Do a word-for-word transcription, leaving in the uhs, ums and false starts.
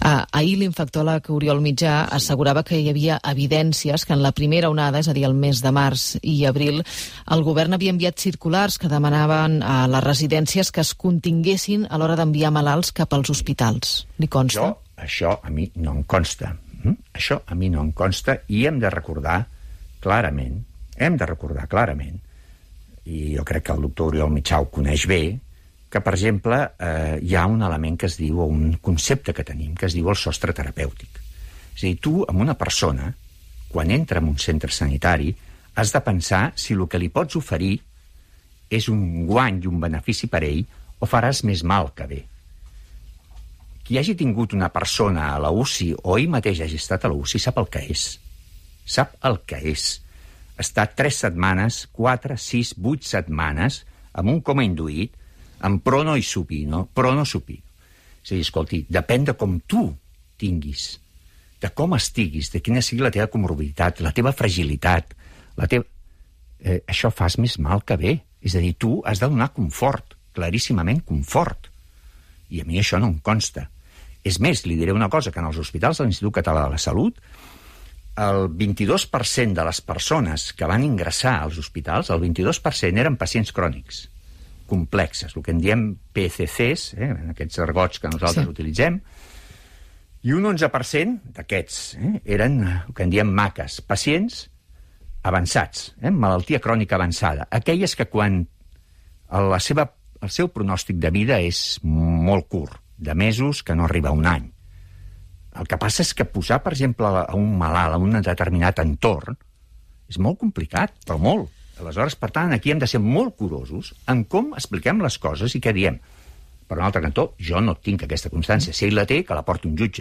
Uh, ahir l'infectòleg Oriol Mitjà assegurava que hi havia evidències que en la primera onada, és a dir, el mes de març i abril, el govern havia enviat circulars que demanaven a les residències que es continguessin a l'hora d'enviar malalts cap als hospitals. Li consta? Jo, això a mi no em consta. Mm? Això a mi no em consta i hem de recordar clarament, hem de recordar clarament, i jo crec que el doctor Oriol Mitjà ho coneix bé, que, per exemple, eh, hi ha un element que es diu, o un concepte que tenim, que es diu el sostre terapèutic. És a dir, tu, amb una persona, quan entra en un centre sanitari, has de pensar si el que li pots oferir és un guany i un benefici per ell o faràs més mal que bé. Qui hagi tingut una persona a la U C I o ell mateix hagi estat a la U C I sap el que és. Sap el que és. Estar tres setmanes, quatre, sis, vuit setmanes, amb un coma induït, amb prono i supino, prono supino. És a dir, escolti, depèn de com tu tinguis, de com estiguis, de quina sigui la teva comorbiditat, la teva fragilitat, la teva... Eh, això fas més mal que bé. És a dir, tu has de donar confort, claríssimament confort. I a mi això no em consta. És més, li diré una cosa, que en els hospitals de l'Institut Català de la Salut, el vint-i-dos per cent de les persones que van ingressar als hospitals, el vint-i-dos per cent eren pacients crònics, complexes, el que en diem P C Cs, eh, en aquests argots que nosaltres sí. utilitzem, i un onze per cent d'aquests eh, eren el que en diem maques, pacients avançats, eh, malaltia crònica avançada, aquelles que quan la seva, el seu pronòstic de vida és molt curt, de mesos que no arriba a un any. El que passa és que posar, per exemple, a un malalt a un determinat entorn és molt complicat, però molt. Aleshores, per tant, aquí hem de ser molt curosos en com expliquem les coses i què diem. Per un altre cantó, jo no tinc aquesta constància. Si ell la té, que la porti un jutge.